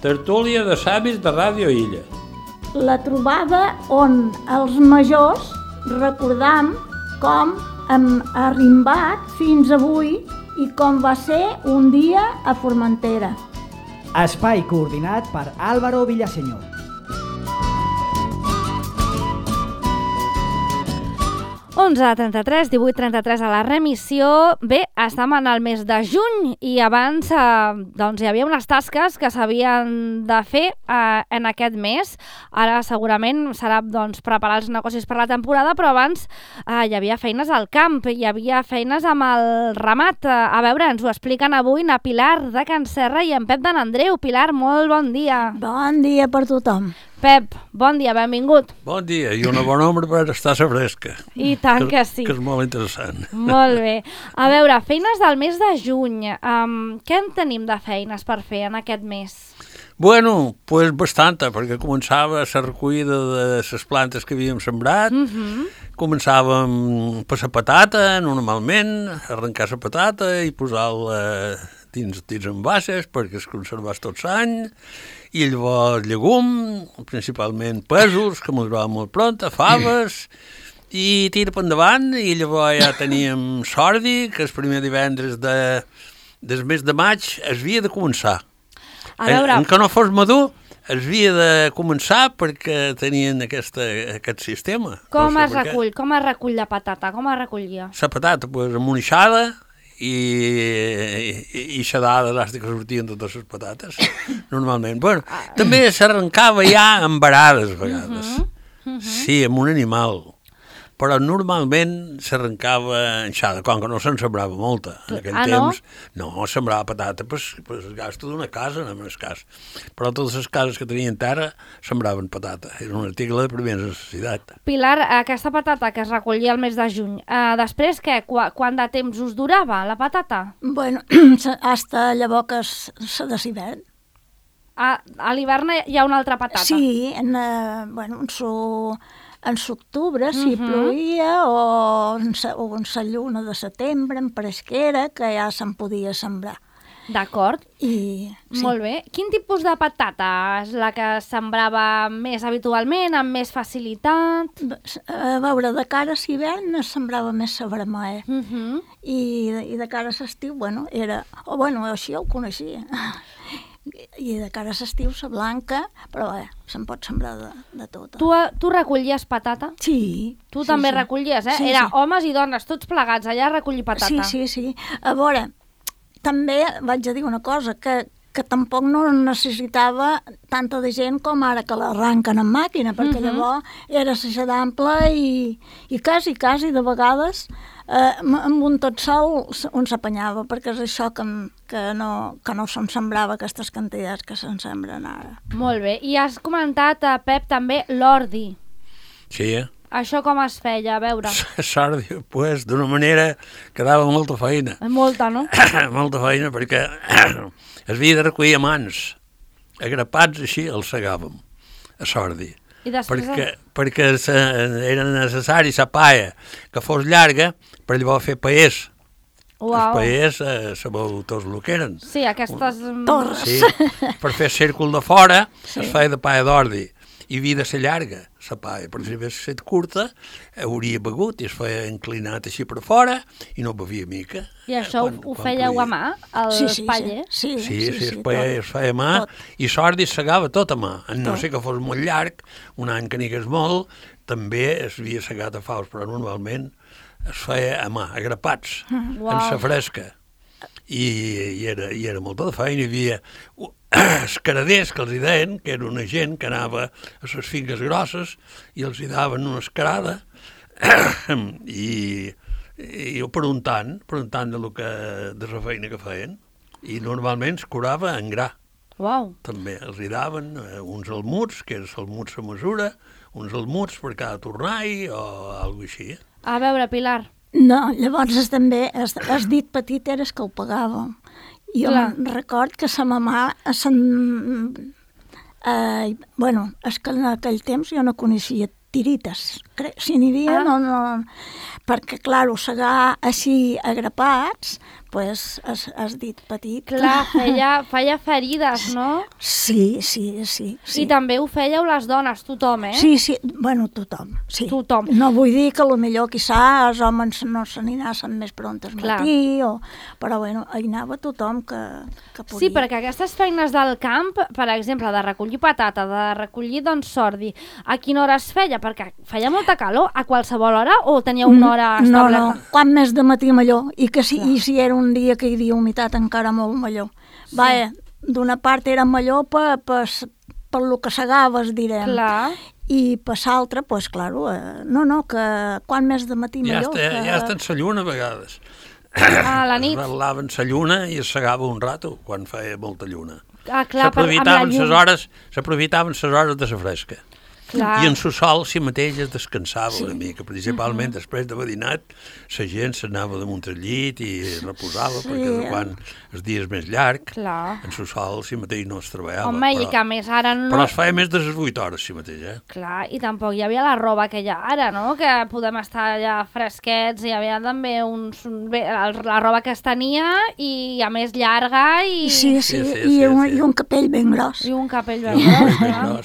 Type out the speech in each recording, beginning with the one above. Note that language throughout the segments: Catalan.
tertúlia de savis de Ràdio Illa. La trobada on els majors recordam com hem arrimbat fins avui i com va ser un dia a Formentera. Espai coordinat per Álvaro Villaseñor. 11:33, 18:33 a la remissió. Bé, estem en el mes de juny i abans doncs, hi havia unes tasques que s'havien de fer en aquest mes. Ara segurament serà doncs, preparar els negocis per la temporada, però abans hi havia feines al camp, hi havia feines amb el ramat. A veure, ens ho expliquen avui na Pilar de Can Serra i en Pep de n'Andreu. Pilar, molt bon dia. Bon dia per tothom. Pep, bon dia, benvingut. Bon dia, i una bona ombra per estar a fresca. I tant que sí. Que és molt interessant. Molt bé. A veure, feines del mes de juny. Què en tenim de feines per fer en aquest mes? Bueno, pues bastanta, perquè començava la recollida de les plantes que havíem sembrat, començàvem per la patata, normalment, arrencar la patata i posar-la dins envases perquè es conservés tot l'any, i llavors llegum, principalment pèsols, que maduraven molt pront, faves, i tira per endavant, i llavors ja teníem sordi, que el primer divendres del mes de maig es havia de començar. A veure... Que no fos madur, es havia de començar perquè tenien aquest sistema. Com es recull la patata? Com es recollia? La patata, pues, amunixada i xadada elàstica que sortien totes les patates, normalment. Bueno, també s'arrencava ja amb varades, a vegades. Sí, amb un animal. Però normalment s'arrencava enxada, com que no se'n sembrava molta. En aquell temps, no sembrava patata, pues el gasto d'una casa, no més cas. Però totes les cases que tenien terra sembraven patata. Era un article de primera necessitat. Pilar, aquesta patata que es recollia el mes de juny, després què? Quant de temps us durava la patata? Bueno, hasta llavors que se d'hivern. A l'hivern hi ha una altra patata? Sí, en l'octubre, si plovia, o en la lluna de setembre, en fresquera, que ja se'n podia sembrar. D'acord. Sí. Molt bé. Quin tipus de patata és la que sembrava més habitualment, amb més facilitat? A veure, de cara a l'hivern es sembrava més la vermella. I de cara a l'estiu, així ho coneixia. I de cara a l'estiu, la blanca, però se'n pot sembrar de tot. Tu recollies patata? Sí. Tu també recollies, eh? Sí, Era homes i dones, tots plegats, allà a recollir patata. Sí. A veure, també vaig a dir una cosa, que tampoc no necessitava tanta de gent com ara que l'arranquen en màquina, perquè llavors era la ampla i quasi de vegades amb un tot sol on s'apanyava, perquè és això que no se'n sembrava aquestes quantitats que se'n sembren ara. Molt bé. I has comentat, Pep, també l'ordi. Sí, Això com es feia, a veure? L'ordi, pues, d'una manera que dava molta feina. Molta, no? Molta feina, perquè es havia de recollir a mans. Agrapats així els segàvem, a l'ordi. I després... Perquè era necessari la palla que fos llarga per llavors fer paers. Els paers, sabeu tots el que eren. Sí, aquestes... Torres. Sí, per fer círcul de fora es feia de palla d'ordi. I havia de ser llarga, la palla, perquè si hagués estat curta, hauria begut i es feia inclinat així per fora i no bevia mica. I això ho fèieu a mà, el paller? Sí, el paller es feia a mà i l'ordi es segava tot a mà. No sé que fos molt llarg, un any que n'hi hagués molt, també es havia segat a faus, però normalment es feia a mà, agrapats, en la fresca. I era molta de feina. Hi havia escaraders, que els hi deien, que era una gent que anava a les finques grosses i els hi daven una escarada i preguntant de la feina que feien. I normalment es curava en gra. També els hi daven uns almuts, que era almuts a mesura, uns almuts per cada tornall o alguna cosa així. A veure, Pilar. No, llavors també has dit petit eres que ho pagàvem. Jo record que sa mamà, és que en aquell temps jo no coneixia tirites. Si n'hi havia, no... Perquè, clar, segar així agrapats, pues, has dit petit. Clar, feia ferides, no? Sí. I també ho fèieu les dones, tothom, eh? Sí, bueno, tothom, sí. Tothom. No vull dir que potser, quizà, els homes no se n'anaven més pront al matí, però bueno, hi anava tothom que podia. Sí, perquè aquestes feines del camp, per exemple, de recollir patata, de recollir, doncs, sordi, a quina hora es feia? Perquè feia molta calor, a qualsevol hora, o tenia una hora establerta? No, quan més de matí millor, i si era un dia que hi havia humitat encara molt millor. Sí. D'una part era millor per lo que segaves, direm. Clar. I per l'altra, doncs, clar, que quan més de matí millor. Ja està en sa lluna, a vegades. A la nit. Es vetlaven sa lluna i es segava un rato, quan feia molta lluna. Clar, s'aprofitaven ses hores de sa fresca. Clar. I en su sol si mateix es descansava una mica, principalment després d'haver dinat, la gent s'anava damunt el llit i reposava, perquè quan el dia és més llarg, en su sol si mateix no es treballava. Home, i que més ara no... Però es feia més de les 8 hores si mateix, Clar, i tampoc hi havia la roba que hi ha ara, no? Que podem estar allà fresquets, hi havia també la roba que es tenia i a més llarga i... Sí, i un capell ben gros. I un capell ben gros,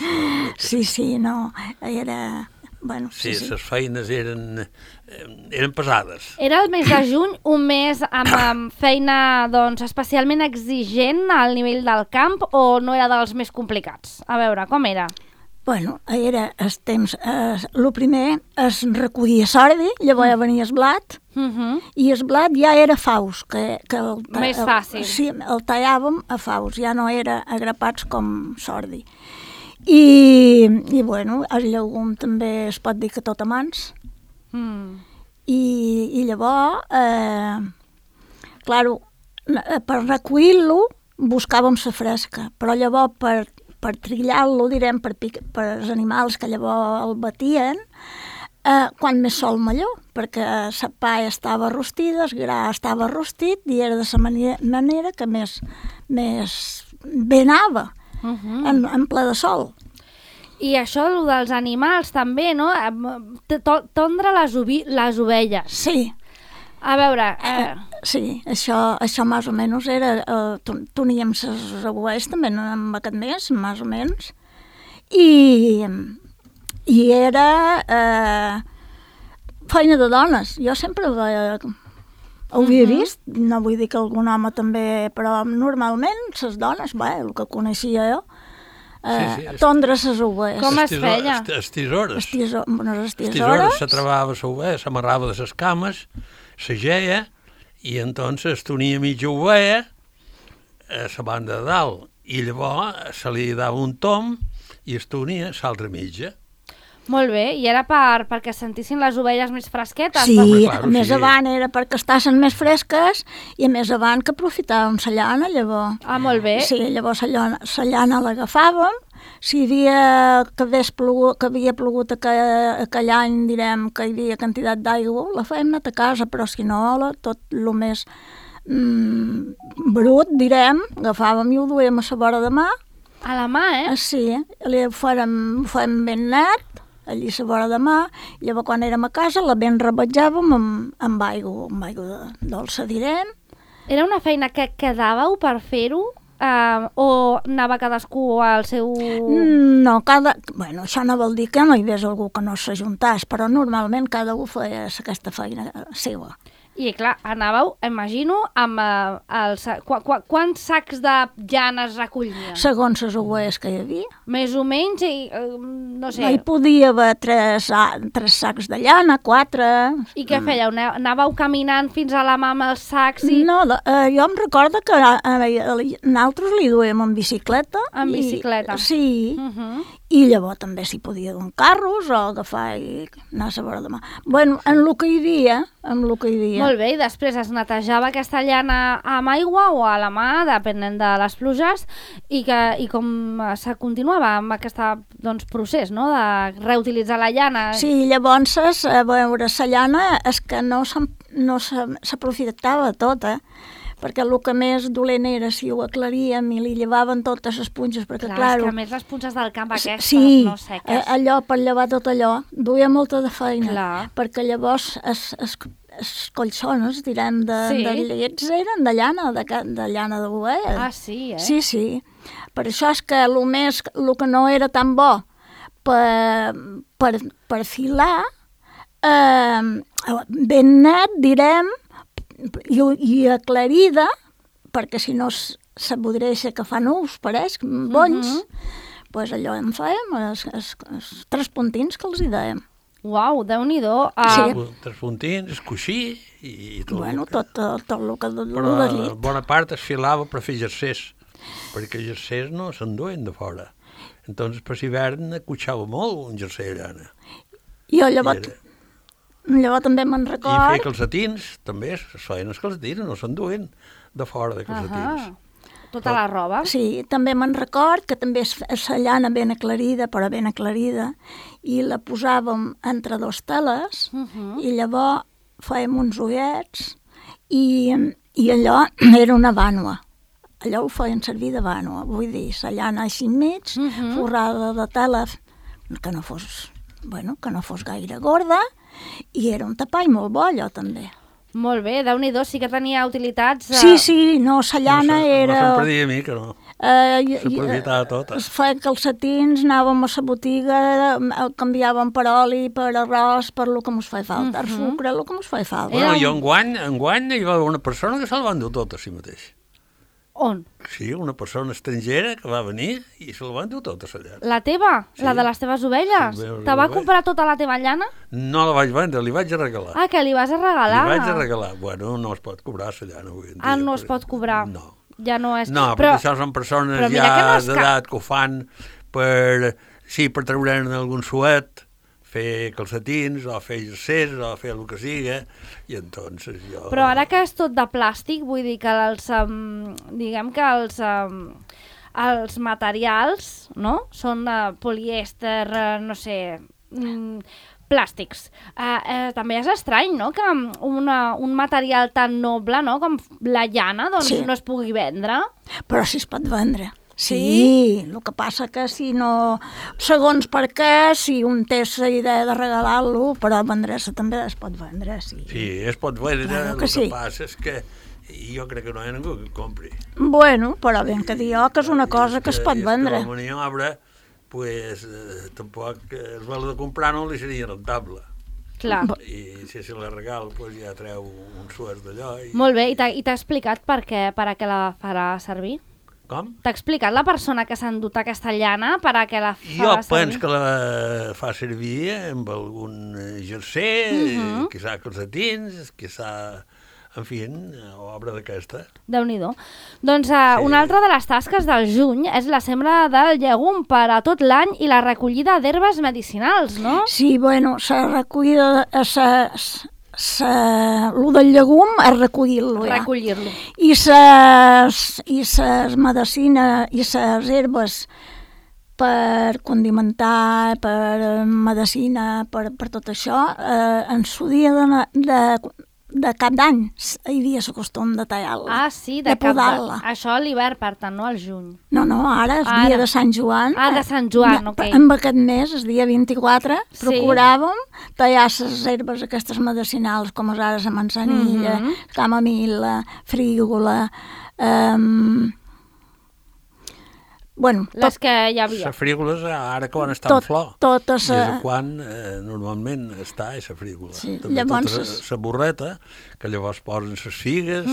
Sí, no, era... Bueno, sí, les feines eren pesades. Era el mes de juny, un mes amb feina doncs, especialment exigent al nivell del camp o no era dels més complicats? A veure, com era? Bueno, era el temps... El primer es recollia sordi, llavors venia el blat, i el blat ja era faus. Més fàcil. Sí, el tallàvem a faus, ja no era agrapats com sordi. I bueno, el llegum també es pot dir que tot a mans. I llavors, claro, per recollir-lo buscàvem la fresca, però llavors per trillar-lo, direm, per els animals que llavors el batien, quan més sol millor, perquè la pa estava rostida, el gra estava rostit i era de la manera que més bé anava. En ple de sol. I això, el dels animals, també, no? Tondre les ovelles. Sí. A veure... Sí, això més o menys era... Teníem les ovelles també en aquest mes, més o menys. I era feina de dones. Jo sempre ho havia vist, no vull dir que algun home també, però normalment les dones, el que coneixia jo, tondre les ovelles. Com es feia? Les tisores. Les tisores se trebava l'ovella, s'amarrava de les cames, se geia, i entonces tonia mitja ovella a la banda de dalt, i llavors se li dava un tom i es tonia l'altra mitja. Molt bé, i era perquè sentissin les ovelles més fresquetes? Sí, més avant era perquè estassin més fresques i més avant que aprofitàvem la llana, llavors. Ah, molt bé. Sí, llavors la llana l'agafàvem, si havia plogut aquell any, direm que hi havia quantitat d'aigua, la fèiem anar a casa, però si no, tot el més brut, direm, agafàvem i ho duíem a la vora de mà. A la mà, Sí, ho fèiem ben net, allí a la vora de mà, i llavors quan érem a casa la ben rebatjàvem amb aigua dolça, direm. Era una feina que quedàveu per fer-ho? O anava cadascú al seu... No, això no vol dir que no hi hagués algú que no s'ajuntàs, però normalment cada un feia aquesta feina seva. I clar, anàveu, imagino, amb quants sacs de llana es recollien? Segons les ovelles que hi havia. Més o menys, no sé. Hi podia haver 3 sacs de llana, 4... I què fèieu? Anàveu caminant fins a la mà amb els sacs? No, jo em recordo que nosaltres li duem en bicicleta. En bicicleta? Sí, i llavors també s'hi podia dur carros o agafar i anar a la vora de mà. Bueno, en el que hi havia, Molt bé, i després es netejava aquesta llana amb aigua o a la mà, depenent de les pluges, i com se continuava amb aquest procés, no?, de reutilitzar la llana. Sí, llavors, a veure, la llana és que no s'aprofitava tot, perquè el que més dolent era si ho aclaríem i li llevaven totes les punxes, perquè clar, és que a més les punxes del camp aquestes, sí, no seques. Allò, per llevar tot allò, duia molta de feina, clar. perquè llavors collsones, direm, de llets eren de llana, de llana d'ovella. Ah, sí, Sí. Per això és que el que no era tan bo per filar, ben net, direm, i aclarida, perquè si no se podria que fa nuus, pareix, bonys, doncs allò en fèiem, els 3 puntins que els hi dèiem. Uau, Déu-n'hi-do. Sí. 3 puntins, coixí i tot. Bueno, tot el que Però del llit. bona part es filava per fer jersers, perquè els jersers no s'enduen de fora. Entonces, per l'hivern acotxava molt un jerser llana. Jo llavors també me'n I record... fer calcetins, també es feien els calcetins, no s'enduen de fora de calcetins. Tota la roba. Sí, també me'n record que també és la llana ben aclarida, però ben aclarida, i la posàvem entre 2 teles, i llavors fèiem uns ullets, i allò era una vànua. Allò ho feien servir de vànua, vull dir, la llana així enmig, forrada de tela, que no fos gaire gorda, i era un tapall molt bo, allò també. Molt bé, Déu-n'hi-do, sí que tenia utilitats... Sí, no, la llana era... No se'n perdia a mi, que no. S'aprofitava tota. Es feia calcetins, anàvem a la botiga, canviàvem per oli, per arròs, per el que mos feia falta, per sucre, el que mos feia falta. Bueno, jo enguany hi va haver una persona que se'l va endur tot a si mateix. On? Sí, una persona estrangera que va venir i se'l va endur tot a la llana. La teva? Sí. La de les teves ovelles? Sí, Te va comprar tota la teva llana? No la vaig vendre, li vaig regalar. Ah, que li vas a regalar? Li vaig regalar. Bueno, no es pot cobrar la llana avui en dia. Ah, no es pot cobrar? No. Ja no és... No, perquè això són persones ja d'edat que ho fan per treure'n algun suet, fer calcetins, o fer jersers, o fer el que siga, i entonces jo... Però ara que és tot de plàstic, vull dir que diguem que els materials, no?, són polièster, no sé, plàstics. També és estrany, no?, que un material tan noble, no?, com la llana, doncs no es pugui vendre. Però sí es pot vendre. Sí, el que passa que si no... Segons per què, si un té la idea de regalar-lo, però vendre-se també es pot vendre, sí. Sí, es pot vendre, claro que sí. Passa és que jo crec que no hi ha ningú que compri. Bueno, però ben que dir que és una cosa que es pot vendre. I és que la maniobra, pues, tampoc el valor de comprar no li seria rentable. Clar. I si se la regal, pues, ja treu un suert d'allò. Molt bé, i t'ha explicat per a què la farà servir? Com? T'ha explicat la persona que s'ha endut aquesta llana per a què la farà servir? Jo penso que la fa servir amb algun jerser, quizà calcetins, quizà, en fi, obra d'aquesta. Déu-n'hi-do. Doncs una altra de les tasques del juny és la sembra del llegum per a tot l'any i la recollida d'herbes medicinals, no? Sí, bueno, la recollida... el del llegum és recollir-lo ja. Recollir-lo. I les medicines i les herbes per condimentar, per medicina, per tot això, en su dia de cap d'any hi havia el costum de tallar-la. Ah, sí, de podar-la. Això a l'hivern, per tant, no al juny. No, ara és dia de Sant Joan. Ah, de Sant Joan, ok. En aquest mes, el dia 24, procuràvem tallar les herbes aquestes medicinals, com ara la manzanilla, camamil·la, frígola... Bueno, les que hi havia. Les frígoles, ara quan està en flor. Totes... Des de quan normalment està la frígola. Sí, també llavors... tota la borreta, que llavors posen les figues,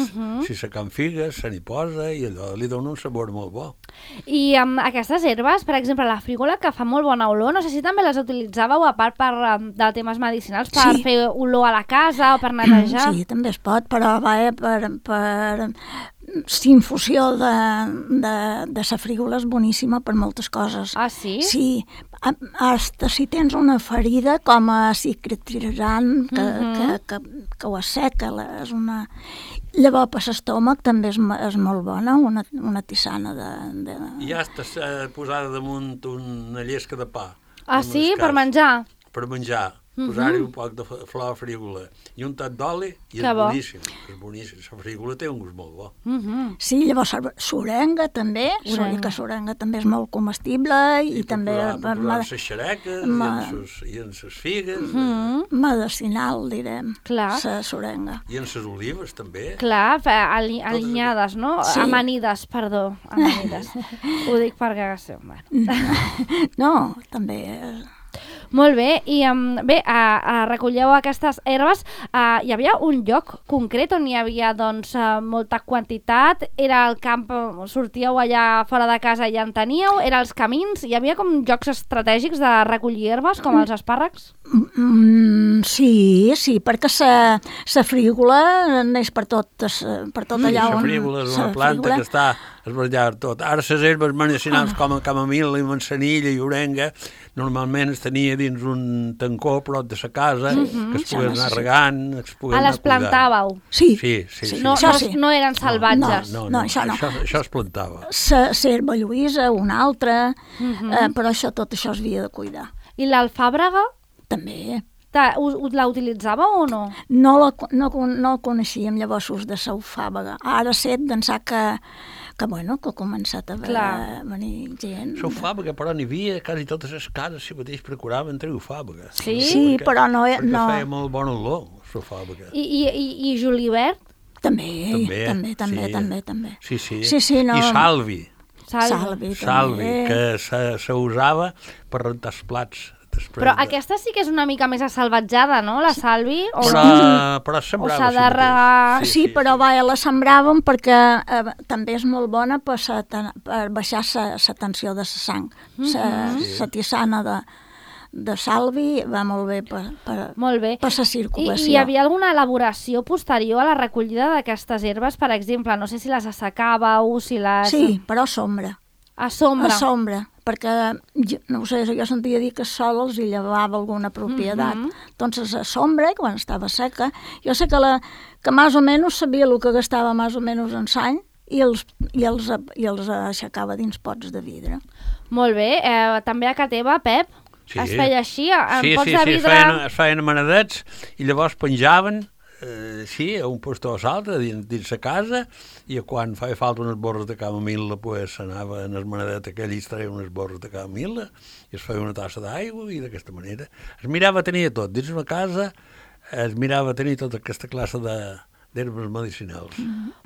si se can figues, se n'hi posa, i allò li dona un sabor molt bo. I aquestes herbes, per exemple, la frígola, que fa molt bona olor, no sé si també les utilitzàveu, a part de temes medicinals, per fer olor a la casa o per netejar. Sí, també es pot, però va per infusió de la frígola és boníssima per moltes coses. Ah, sí? Sí, hasta si tens una ferida com a cicatrizant que ho asseca, és una... Llavors per l'estómac també és molt bona, una tisana de... Ja està posada damunt una llesca de pa. Ah, sí? Per menjar? Per menjar. posar-hi un poc de flor frígola i un tot d'oli i és boníssim. És boníssim. La frígola té un gust molt bo. Sí, llavors s'orenga també, que s'orenga també és molt comestible i també... Posar les xereques i en les figues. Medicinal, direm, s'orenga. I en les olives també. Clar, alinyades, no? Sí. Amanides, perdó. Amanides. Ho dic perquè... No, també... Molt bé, i bé, recolleu aquestes herbes. Hi havia un lloc concret on hi havia doncs, molta quantitat? Era el camp, sortíeu allà fora de casa i ja en teníeu? Era els camins? Hi havia com jocs estratègics de recollir herbes, com els espàrrecs? Sí, perquè la frígola neix per tot allà on... La frígola és una planta que està esbarallar tot. Ara les herbes medicinals com el camamil, i manzanilla i orenga, normalment es tenia dins un tancó prop de la casa, que es pogués anar regant, es pogués anar les plantàveu? Sí. No eren salvatges? No, això no. Això es plantava. L'herba lluïsa, una altra, però tot això es havia de cuidar. I l'alfàbrega? També. La utilitzàveu o no? No el coneixíem llavors de l'alfàbrega. Ara sé d'ençà que ha començat a venir gent. L'alfàbrega, però n'hi havia quasi totes les cases si mateix procuraven treure alfàbrega. Sí, però no... Perquè feia molt bon olor, l'alfàbrega. I julivert? També. Sí. Sí, no. I salvi. Salvi, que s'usava per rentar els plats. Però aquesta sí que és una mica més assalvatjada, no, la salvi? Però sembrava. O s'ha de regar... Sí, però la sembràvem perquè també és molt bona per baixar la tensió de la sang. La tisana de salvi va molt bé per la circulació. I hi havia alguna elaboració posterior a la recollida d'aquestes herbes? Per exemple, no sé si les assecàveu, si les... Sí, però a sombra. A sombra? A sombra, perquè, no ho sé, jo sentia dir que sol els hi llevava alguna propietat. Entonces, a sombra, quan estava seca, jo sé que més o menys sabia el que gastava més o menys en l'any i els aixecava dins pots de vidre. Molt bé. També a casa teva, Pep, es feia així, en pots de vidre? Sí, es feien amanadets i llavors penjaven a un postó o l'altre dins la casa i quan feia falta unes borres de camamil·la pues s'anava en el manadet aquell i es treia unes borres de camamil·la i es feia una tassa d'aigua i d'aquesta manera es mirava a tenir tot dins la casa, es mirava a tenir tota aquesta classe d'herbes medicinals.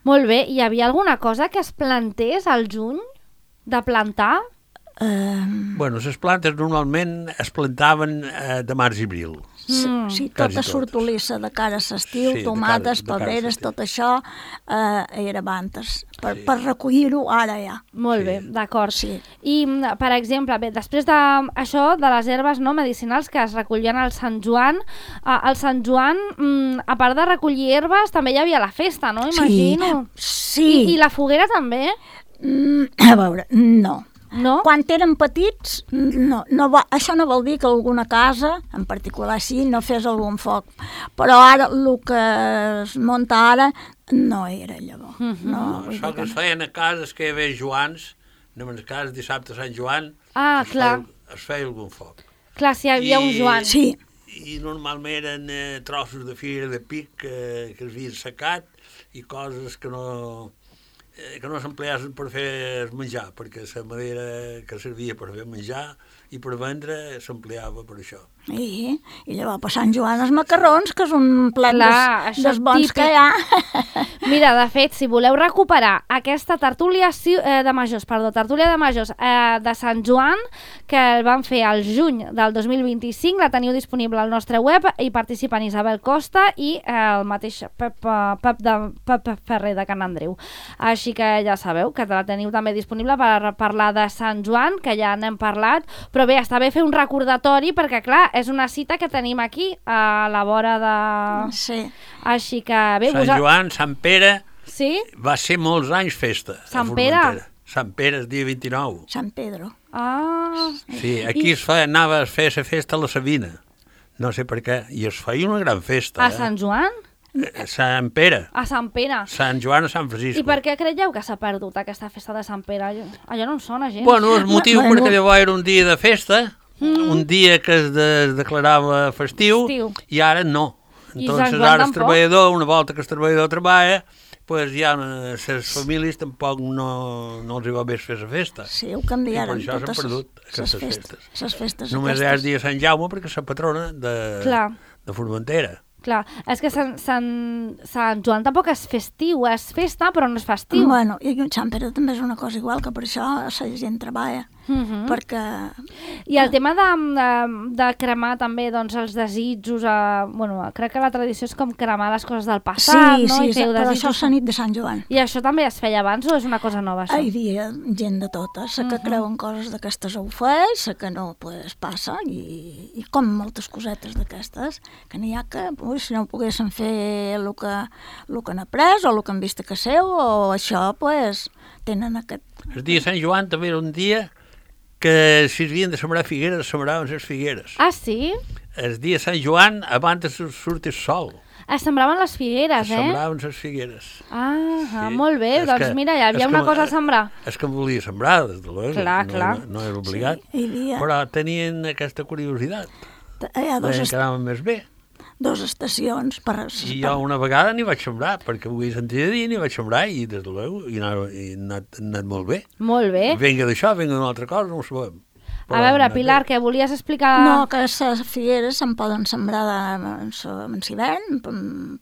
Molt bé, hi havia alguna cosa que es plantés al juny de plantar? Bueno, les plantes normalment es plantaven de març i abril. Sí, tota sortolissa de cara a l'estiu, tomates, peberes, tot això era abans, per recollir-ho ara ja. Molt bé, d'acord. I, per exemple, després d'això, de les herbes medicinals que es recollien al Sant Joan, al Sant Joan, a part de recollir herbes, també hi havia la festa, no? Imagino. Sí. I la foguera també? A veure, no. No? Quan érem petits, això no vol dir que alguna casa, en particular sí, no fes algun foc. Però ara, el que es munta ara, no era llavors. Això que es feien a cases que hi havia Joans, en el cas dissabte Sant Joan, es feia algun foc. Clar, si hi havia un Joan. Sí. I normalment eren trossos de fira de pic que es havien secat i coses que no s'empleaven per fer menjar, perquè la madera que servia per fer menjar i per vendre s'empleava per això. I llavors per Sant Joan els macarrons, que és un plat dels bons que hi ha. Mira, de fet, si voleu recuperar aquesta tertúlia de majors de Sant Joan, que el van fer al juny del 2025, la teniu disponible al nostre web, i participen Isabel Costa i el mateix Pep Ferrer de Can Andreu. Així que ja sabeu que la teniu també disponible per parlar de Sant Joan, que ja n'hem parlat, però bé, està bé fer un recordatori perquè, clar, és una cita que tenim aquí a la vora de... Sí. Així que bé... Sant Joan, Sant Pere... Sí? Va ser molts anys festa. Sant Pere? Sant Pere, el dia 29. Sant Pedro. Ah. Sí, aquí anava a fer la festa a la Sabina. No sé per què. I es feia una gran festa. A Sant Joan? Sant Pere. A Sant Pere. Sant Joan a Sant Francisco. I per què creieu que s'ha perdut aquesta festa de Sant Pere? Allò no em sona gens. Bueno, el motiu perquè llavors era un dia de festa, un dia que es declarava festiu, i ara no. I Entonces Sant Joan ara el tampoc. treballador, una volta que el treballador treballa, pues ja les famílies tampoc no els hi va bé fer la festa. Sí, ho canviaran I per això s'han totes perdut aquestes festes. Les festes Només aquestes. és el dia de Sant Jaume perquè és la patrona Clar. de Formentera. Clar, és que Sant Joan tampoc és festiu, és festa però no és festiu. Bueno, i Sant Pere també és una cosa igual, que per això la gent treballa, perquè... I el tema de cremar també doncs, els desitjos, bueno, crec que la tradició és com cremar les coses del passat, no? Sí, I feu però desitjos. això és la nit de Sant Joan. I això també es feia abans o és una cosa nova, això? Hi havia gent de totes, la que creu en coses d'aquestes ho feix, la que no, pues passa, i com moltes cosetes d'aquestes, que n'hi ha que, si no poguessin fer el que han après, o el que han vist a casa seu, o això, pues, tenen aquest... El dia de Sant Joan també era un dia que si havien de sembrar figueres, sembraven les figueres. Ah, sí? El dia de Sant Joan, abans de sortir el sol, Es sembraven les figueres, sembraven les figueres. Ah, Sí. molt bé, És doncs que- mira, hi havia és que- una cosa a sembrar. És que em volia sembrar, des de l'oest. Clar, clar. No era obligat. Hi havia Però tenien aquesta curiositat. hi ha Deien que anaven més bé. dos estacions per... I jo una vegada n'hi vaig sembrar, perquè ho havia sentit a dir, n'hi vaig sembrar i des de l'eu i ha anat molt bé. Molt bé. Venga d'això, venga d'una altra cosa, no ho sabem. A veure, Pilar, què volies explicar? No, que les figueres se'n poden sembrar en hivern,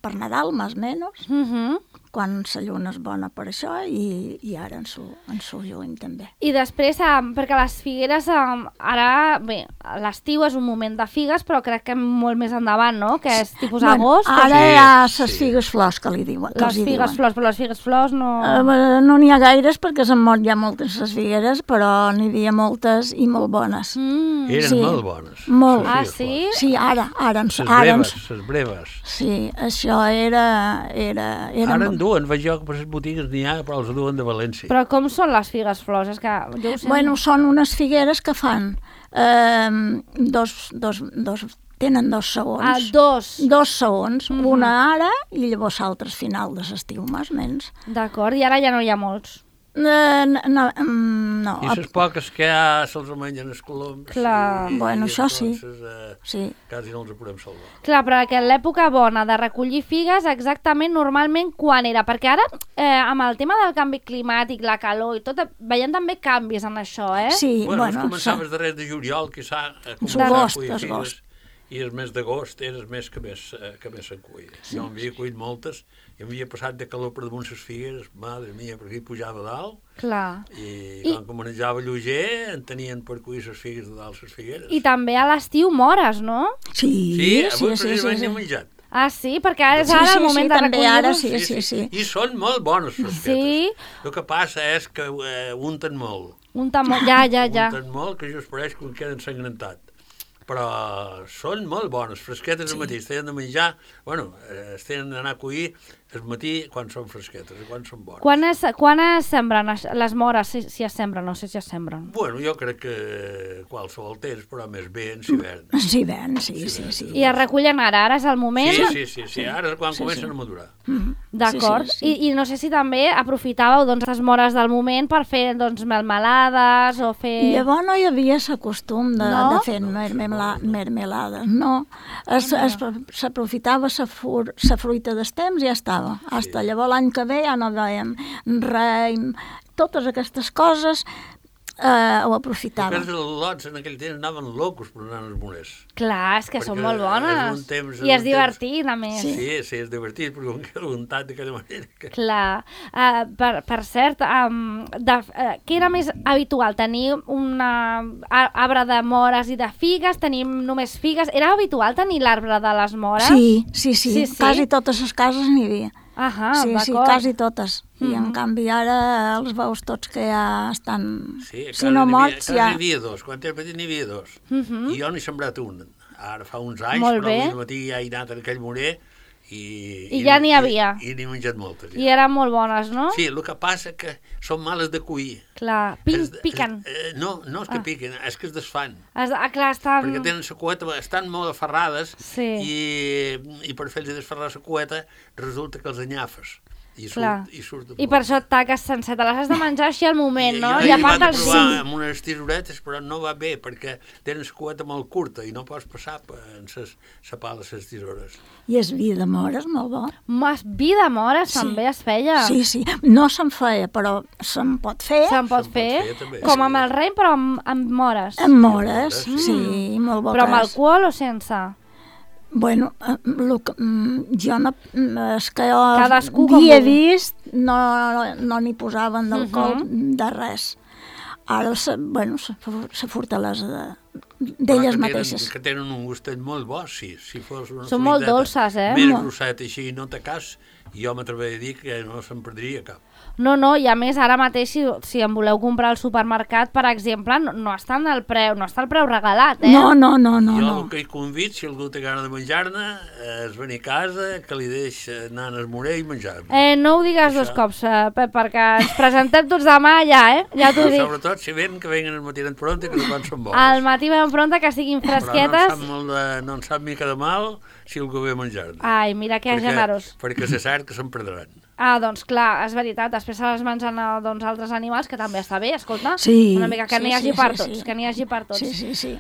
per Nadal, més o menys, quan la lluna és bona per això, i ara en su juny també. I després, perquè les figueres, ara, bé, l'estiu és un moment de figues, però crec que molt més endavant, no? Que és tipus agost. Ara Sí, hi ha sí. les figues flors, que li diuen. Les figues flors, però les figues flors no... No n'hi ha gaires, perquè s'han mort ja moltes les figueres, però n'hi havia moltes i molt bones. Eren Sí. molt bones. Molt. Ah, Les sí? Sí, ara breves, les breves. Sí, això era Ara en duen, veig jo que per les botigues n'hi ha, però els duen de València. Però com són les figues flors? És que jo ho sé. Bueno, són unes figueres que fan tenen 2 segons. Ah, dos. 2 segons, una ara i llavors l'altra al final de l'estiu, més o menys. D'acord, i ara ja no hi ha molts. No. I les poques que hi ha se'ls mengen els coloms. Clar, bueno, això sí. Entonces, Sí. quasi no els podem salvar. Clar, però que l'època bona de recollir figues exactament normalment quan era? Perquè ara, amb el tema del canvi climàtic, la calor i tot, veiem també canvis en això, eh? Sí, Bueno, bueno, començaves darrere de juliol, que s'ha D'agost, cuir figues, d'agost. i el mes d'agost era el mes que més se'n cuia. Jo en havia cuit moltes, i m'havia passat de calor per damunt les figues, madre mia, perquè hi pujava a dalt, Clar. i quan que manejava lleuger, en tenien per cuir les figues de dalt les figueres. I també a l'estiu mores, no? Sí, avui precisament n'he menjat. Ah, sí? Perquè ara és ara el moment de també ara recollir-los. sí. I són molt bones, les Sí. El que passa és que unten molt. Un tamó... Ja. Unten molt, que just pareix que queda ensangrentat. Però són molt bones, fresquetes al matí, es tenen de menjar, bueno, es tenen d'anar a cuir el matí quan són fresquetes i quan són bones. Quan es sembren les mores, si es sembren, no sé si es sembren? Bueno, jo crec que qualsevol temps, però més bé en hivern. Sí, ben, sí. I es recullen ara és el moment? Sí, ara és quan comencen a madurar. D'acord. Sí. I no sé si també aprofitàveu doncs, les mores del moment per fer doncs, melmelades o fer... Llavors no hi havia el costum de No? fer mermelades, no. S'aprofitava la fruita del temps i ja estava. Hasta llavors l'any que ve ja no veiem raïm, totes aquestes coses ho aprofitava. Perquè els lots en aquell temps anaven locos per anar als moners. Clar, és que són Perquè molt bones. és un temps- I és un divertit, a més. Sí, és divertit, però com que untat d'aquella manera. Que... Clar. Per cert, què era més habitual? Tenir un arbre de mores i de figues? Tenim només figues? Era habitual tenir l'arbre de les mores? Sí. Quasi totes les cases n'hi havia. Ahà, Sí, d'acord. quasi totes. I en canvi ara els veus tots que ja estan... Sí, si no morts ja... ja... N'hi havia dos, quan era petit n'hi havia dos. I jo n'he sembrat un. Ara fa uns anys, Molt però bé. avui al matí ja he anat en aquell morer i ja n'hi havia. I n'he menjat moltes. I eren molt bones, no? Sí, el que passa que són males de cuir. Clar, piquen. No és que piquen, és que es desfan. Clar, estan... Perquè tenen la cueta, estan molt aferrades Sí. i per fer-los desferrar la cueta resulta que els anyafes. I Clar. surt de I per això taques sencer, te les has de menjar així al moment, no? I I a vaig part del provar sí. amb unes tisoretes, però no va bé, perquè tenen la cueta molt curta i no pots passar en la pala les tisores. I es vi de mores, molt bo. Vi de mores també es feia. Sí. No se'n feia, però se'n pot fer. Se'n pot fer, també, com sí. amb el rei, però amb mores. Amb mores, sí, molt bo Però amb cas. alcohol o sense? Bueno, jo no, és que jo Cadascú com havia vulgui. vist, no n'hi posaven d'alcohol de res. Ara, la fortalesa d'elles mateixes. Que tenen un gustet molt bo, sí. Si fos una Són molt fruiteta dolces, eh? més grosset així, no té cas, jo m'atreviré a dir que no se'n perdria cap. No, i a més ara mateix si en voleu comprar al supermercat, per exemple, no està el preu regalat, eh? No. Jo el que hi convido, si algú té gana de menjar-ne, és venir a casa, que li deix anar al esmorer i menjar-ne. No ho digues dos cops, Pep, perquè ens presentem tots demà ja, ja t'ho dic. Sobretot si ven, que venguen al matí en pronta, que no són bones. Al matí ben pronta, que siguin fresquetes. Però no en sap mica de mal si algú ve a menjar-ne. Ai, mira que generós. Perquè se sap que se'n perdran. Doncs clar, és veritat, després se les mengen altres animals, que també està bé, escolta, Sí, una mica que n'hi hagi per tots, que n'hi hagi per tots. Sí.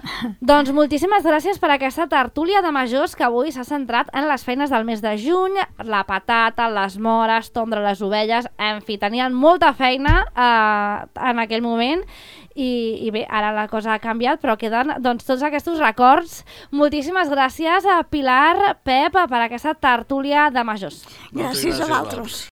Doncs moltíssimes gràcies per aquesta tertúlia de majors que avui s'ha centrat en les feines del mes de juny, la patata, les mores, tondre les ovelles, en fi, tenien molta feina en aquell moment i bé, ara la cosa ha canviat, però queden doncs, tots aquests records. Moltíssimes gràcies a Pilar, Pep, per aquesta tertúlia de majors. Gràcies a vosaltres.